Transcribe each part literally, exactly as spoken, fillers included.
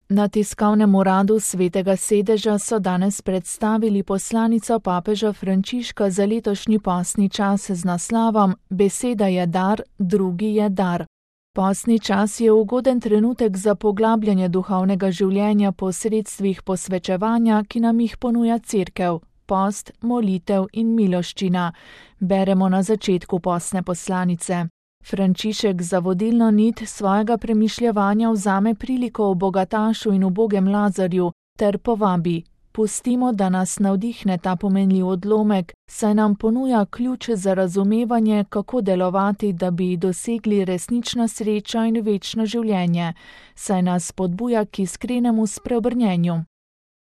Na tiskovnem uradu Svetega sedeža so danes predstavili poslanico papeža Frančiška za letošnji postni čas z naslovom Beseda je dar, drugi je dar. Postni čas je ugoden trenutek za poglabljanje duhovnega življenja po sredstvih posvečevanja, ki nam jih ponuja Cerkev, post, molitev in miloščina, beremo na začetku postne poslanice. Frančišek za vodilno nit svojega premišljevanja vzame priliko o bogatašu in ubogem Lazarju ter povabi: pustimo, da nas navdihne ta pomenljiv odlomek, saj nam ponuja ključ za razumevanje, kako delovati, da bi dosegli resnično srečo in večno življenje, saj nas spodbuja k iskrenemu spreobrnjenju.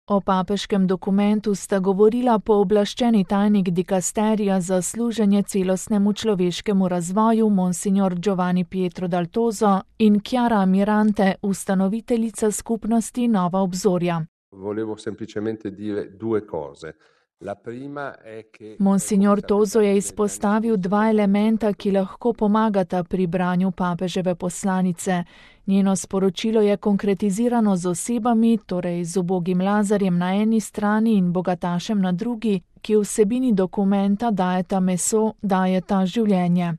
O papeškem dokumentu sta govorila pooblaščeni tajnik dikasterija za služenje celostnemu človeškemu razvoju monsignor Giovanni Pietro Dal Toso in Chiara Mirante, ustanoviteljica skupnosti Nova obzorja. Volevo semplicemente dire due cose. La prima è che Monsignor Toso je izpostavil dva elementa, ki lahko pomagata pri branju papeževe poslanice. Njeno sporočilo je konkretizirano z osebami, torej z ubogim Lazarjem na eni strani in bogatašem na drugi, ki vsebini dokumenta dajeta meso, dajeta življenje.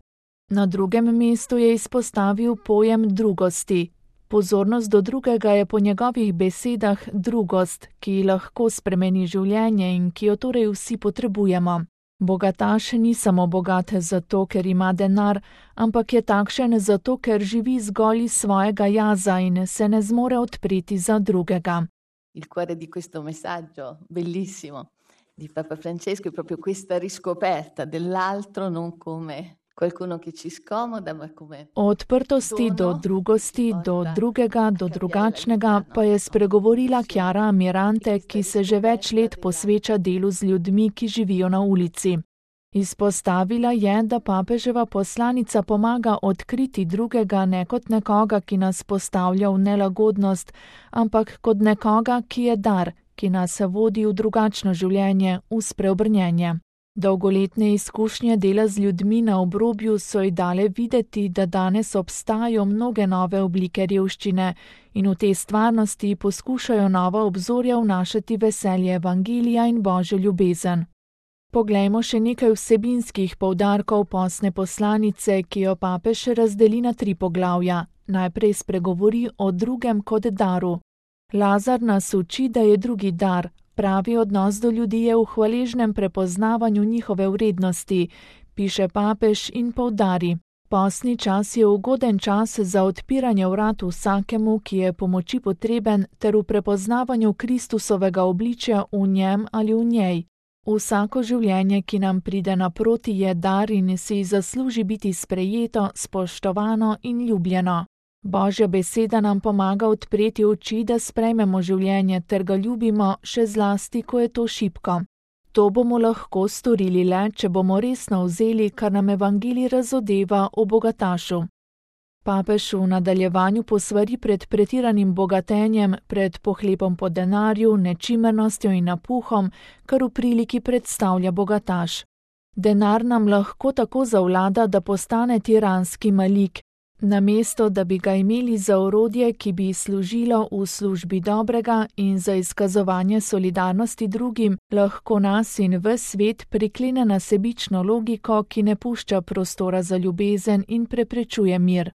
Na drugem mestu je izpostavil pojem drugosti. Pozornost do drugega je po njegovih besedah drugost, ki lahko spremeni življenje in ki jo torej vsi potrebujemo. Bogataš ni samo bogat zato, ker ima denar, ampak je takšen zato, ker živi zgolj iz svojega jaza in se ne zmore odpreti za drugega. Il cuore di questo messaggio bellissimo di Papa Francesco è proprio questa riscoperta dell'altro non come qualcuno che ci scomoda, ma come O odprtosti do drugosti, do drugega, do drugačnega pa je spregovorila Chiara Mirante, ki se že več let posveča delu z ljudmi, ki živijo na ulici. Izpostavila je, da papeževa poslanica pomaga odkriti drugega ne kot nekoga, ki nas postavlja v nelagodnost, ampak kot nekoga, ki je dar, ki nas vodi v drugačno življenje, v spreobrnjenje. Dolgoletne izkušnje dela z ljudmi na obrobju so ji dale videti, da danes obstajajo mnoge nove oblike revščine in v tej stvarnosti poskušajo nova obzorja vnašati veselje evangelija in božjo ljubezen. Poglejmo še nekaj vsebinskih poudarkov postne poslanice, ki jo papež razdeli na tri poglavja. Najprej spregovori o drugem kot daru. Lazar nas uči, da je drugi dar. Pravi odnos do ljudi je v hvaležnem prepoznavanju njihove vrednosti, piše papež in poudari. Postni čas je ugoden čas za odpiranje vrat vsakemu, ki je pomoči potreben, ter v prepoznavanju Kristusovega obličja v njem ali v njej. Vsako življenje, ki nam pride naproti, je dar in si zasluži biti sprejeto, spoštovano in ljubljeno. Božja beseda nam pomaga odpreti oči, da sprejmemo življenje ter ga ljubimo, še zlasti, ko je to šibko. To bomo lahko storili le, če bomo resno vzeli, kar nam evangelij razodeva o bogatašu. Papež v nadaljevanju posvari pred pretiranim bogatenjem, pred pohlepom po denarju, nečimernostjo in napuhom, kar v priliki predstavlja bogataš. Denar nam lahko tako zavlada, da postane tiranski malik. Namesto, da bi ga imeli za orodje, ki bi služilo v službi dobrega in za izkazovanje solidarnosti drugim, lahko nas in ves svet priklene na sebično logiko, ki ne pušča prostora za ljubezen in preprečuje mir.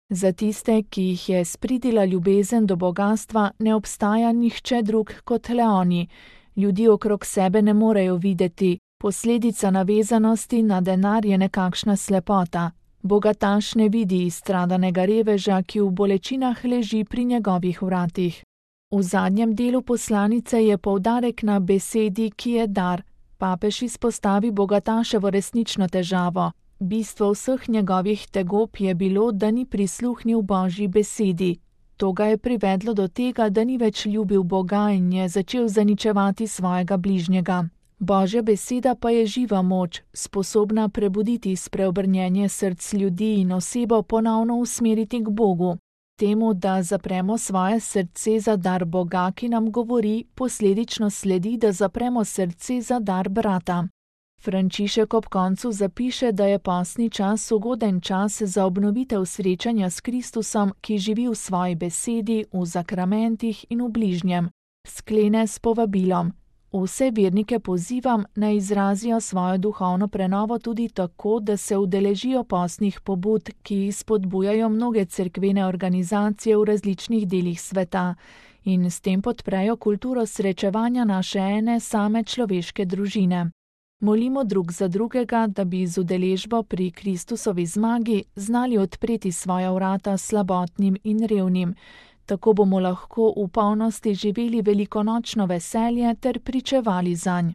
Za tiste, ki jih je spridila ljubezen do bogastva, ne obstaja nihče drug kot le oni. Ljudi okrog sebe ne morejo videti. Posledica navezanosti na denar je nekakšna slepota. Bogataš ne vidi izstradanega reveža, ki v bolečinah leži pri njegovih vratih. V zadnjem delu poslanice je poudarek na besedi, ki je dar. Papež izpostavi bogataševo resnično težavo. Bistvo vseh njegovih tegob je bilo, da ni prisluhnil Božji besedi. To ga je privedlo do tega, da ni več ljubil Boga in je začel zaničevati svojega bližnjega. Božja beseda pa je živa moč, sposobna prebuditi spreobrnjenje src ljudi in osebo ponovno usmeriti k Bogu. Temu, da zapremo svoje srce za dar Boga, ki nam govori, posledično sledi, da zapremo srce za dar brata. Frančišek ob koncu zapiše, da je postni čas ugoden čas za obnovitev srečanja s Kristusom, ki živi v svoji besedi, v zakramentih in v bližnjem. Sklene s povabilom: vse vernike pozivam, naj izrazijo svojo duhovno prenovo tudi tako, da se udeležijo postnih pobud, ki jih spodbujajo mnoge cerkvene organizacije v različnih delih sveta, in s tem podprejo kulturo srečevanja naše ene same človeške družine. Molimo drug za drugega, da bi z udeležbo pri Kristusovi zmagi znali odpreti svoja vrata slabotnim in revnim. Tako bomo lahko v polnosti živeli velikonočno veselje ter pričevali zanj.